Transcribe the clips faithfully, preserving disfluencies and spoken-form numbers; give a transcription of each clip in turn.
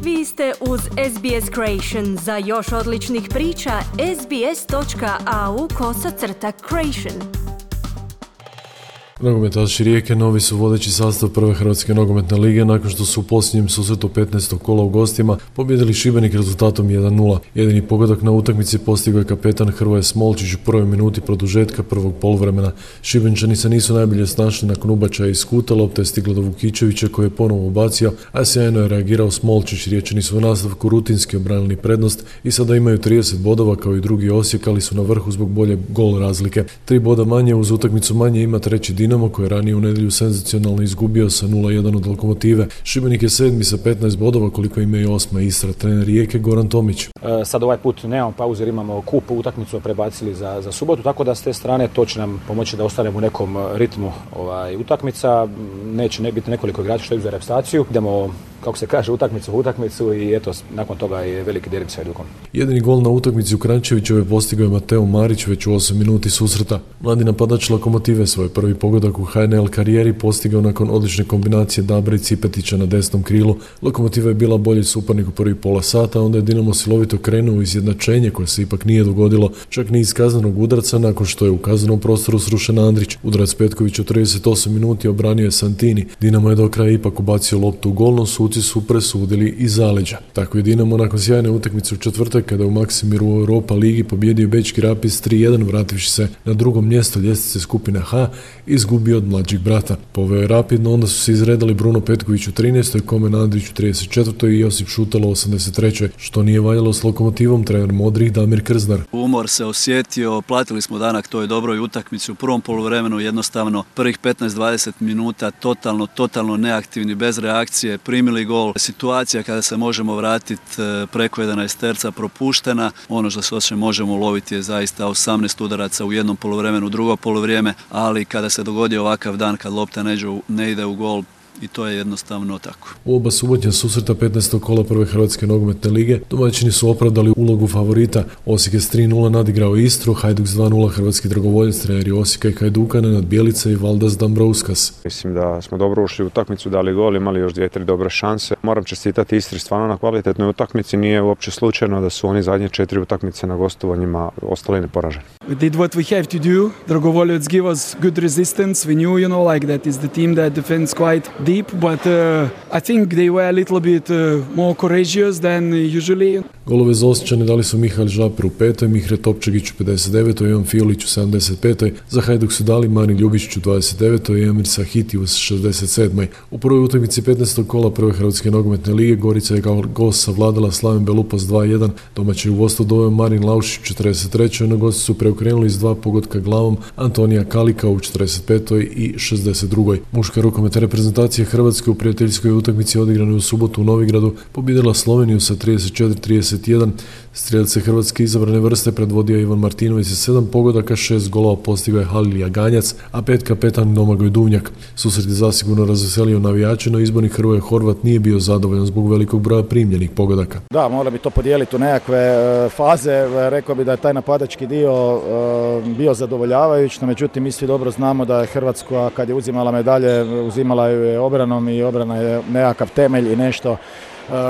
Vi ste uz S B S Creation. Za još odličnih priča, sbs.au kosacrta creation. Nogometaši Rijeke novi su vodeći sastav prve Hrvatske nogometne lige nakon što su u posljednjem susretu petnaestog kola u gostima pobijedili Šibenik rezultatom jedan nula. Jedini pogodak na utakmici postigao je kapetan Hrvoje Smolčić u prvoj minuti produžetka prvog poluvremena. Šibenčani se nisu najbolje snašli nakon ubačaja iz kuta, lopta je stigla do Vukičevića koji je ponovo ubacio, a sjajno je reagirao Smolčić. Riječani su u nastavku rutinski obranili prednost i sada imaju trideset bodova kao i drugi Osijek, ali su na vrhu zbog bolje gol razlike. Tri boda manje uz utakmicu manje ima treći Dinamo koji je ranije u nedjelju senzacionalno izgubio sa nula jedan od Lokomotive. Šibenik je sedmi sa petnaest bodova koliko ima i osma Istra. Trener Rijeke Goran Tomić. E, sad ovaj put nemamo pauze jer imamo kup, utakmicu prebacili za, za subotu, tako da s te strane to će nam pomoći da ostanemo u nekom ritmu ovaj, utakmica. Neće ne biti nekoliko igrača što je za reprezentaciju. Idemo, kako se kaže, utakmicu u utakmicu i eto, nakon toga je veliki derbi sa Hajdukom. Jedini gol na utakmici u Kranjčevićevoj postigao je Mateo Marić već u osam minuti susreta. Mladi napadač Lokomotive svoj prvi pogodak u H N L karijeri postigao nakon odlične kombinacije Dabra i Cipetića na desnom krilu. Lokomotiva je bila bolji suparnik u prvi pola sata, onda je Dinamo silovito krenuo u izjednačenje koje se ipak nije dogodilo, čak ni iz kaznenog udarca nakon što je u kaznenom prostoru srušen Andrić. Udarac Petković u trideset osam minuti obranio je Santini. Dinamo je do kraja ipak ubacio loptu u gol, no suci su presudili iz zaleđa. Tako je Dinamo nakon sjajne utakmice u četvrtak kada u Maksimiru u Europa ligi pobjedio Bečki Rapid tri jedan vrativši se na drugom mjesto ljestvice skupine H, izgubio od mlađeg brata. Poveo je Rapid, no onda su se izredali Bruno Petković u trinaestoj, Komen Andrić u trideset četvrtoj i Josip Šutalo u osamdeset trećoj Što nije valjalo s Lokomotivom, trener modrih Damir Krznar. Umor se osjetio, platili smo danak toj dobroj utakmici u prvom poluvremenu, jednostavno prvih petnaest dvadeset minuta totalno, totalno neaktivni, bez reakcije, primili gol. Situacija kada se možemo vratiti preko jedanaest terca propuštena, ono što se osjeća možemo loviti je zaista osamnaest udaraca u jednom poluvremenu, drugo poluvrijeme, ali kada se dogodi ovakav dan kad lopta ne ide u gol, i to je jednostavno tako. U oba subotnja susreta petnaestog kola prve Hrvatske nogometne lige domaćini su opravdali ulogu favorita. Osijek je s tri nula nadigrao Istru, Hajduk s dva nula hrvatski dragovoljac, treneri Osijeka i Hajduka Nenad Bjelica i Valdas Dambrauskas. Mislim da smo dobro ušli u utakmicu, dali gol, imali još dvije, tri dobre šanse. Moram čestitati Istri stvarno na kvalitetnoj utakmici, nije uopće slučajno da su oni zadnje četiri utakmice na gostovanjima ostali neporaženi. We did what we have to do. Dragovoljac give us good resistance. We knew, you know, like that is the team that defends quite deep, but uh, I think they were a little bit uh, more courageous than usually. Golove za Osječane dali su Mihael Žaper u petoj, Mihre Topčagić u pedeset devetoj, Ivan Fiolić u sedamdeset petoj Za Hajduk su dali Marin Ljubičić u dvadeset devetoj i Emir Sahiti u šezdeset sedmoj U prvoj utakmici petnaestog kola prve Hrvatske nogometne lige Gorica je kao gost savladala Slaven Belupas dva jedan. Domaći u vodstvo doveo Marin Laušić u četrdeset trećoj Na gosti su preokrenuli s dva pogotka glavom Antonija Kalika u četrdeset petoj i šezdeset drugoj Muška rukometna reprezentacija Hrvatske u prijateljskoj utakmici odigranoj u subotu u Novigradu pobijedila Sloveniju sa trideset četiri trideset jedan. Strijelce Hrvatske izabrane vrste predvodio Ivan Martinović sa sedam pogodaka, šest golova postigao je Halil Jaganjac, a pet kapetan Domagoj Duvnjak. Susret je zasigurno razveselio navijače, no izbornik Hrvoje Horvat nije bio zadovoljan zbog velikog broja primljenih pogodaka. Da, morali bi to podijeliti u nekakve faze. Rekao bi da je taj napadački dio bio zadovoljavajuć, no međutim mi svi dobro znamo da je Hrvatska kad je uzimala medalje, uzimala ju je obranom i obrana je nekakav temelj i nešto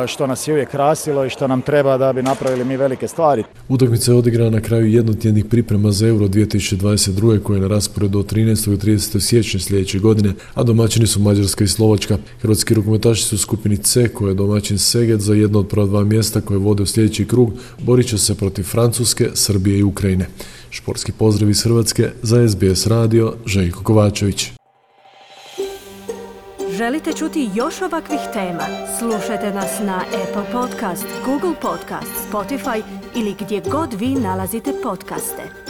što nas je uvijek krasilo i što nam treba da bi napravili mi velike stvari. Utakmica je odigrana na kraju jednotjednih priprema za Euro dvije tisuće dvadeset druge koje je na rasporedu od trinaestog do tridesetog siječnja sljedeće godine, a domaćini su Mađarska i Slovačka. Hrvatski rukometaši su u skupini C koje je domaćin Seget za jedno od prva dva mjesta koje vode u sljedeći krug, borit će se protiv Francuske, Srbije i Ukrajine. Športski pozdrav iz Hrvatske za S B S radio, Željko Kovačević. Želite čuti još ovakvih tema? Slušajte nas na Apple Podcast, Google Podcast, Spotify ili gdje god vi nalazite podcaste.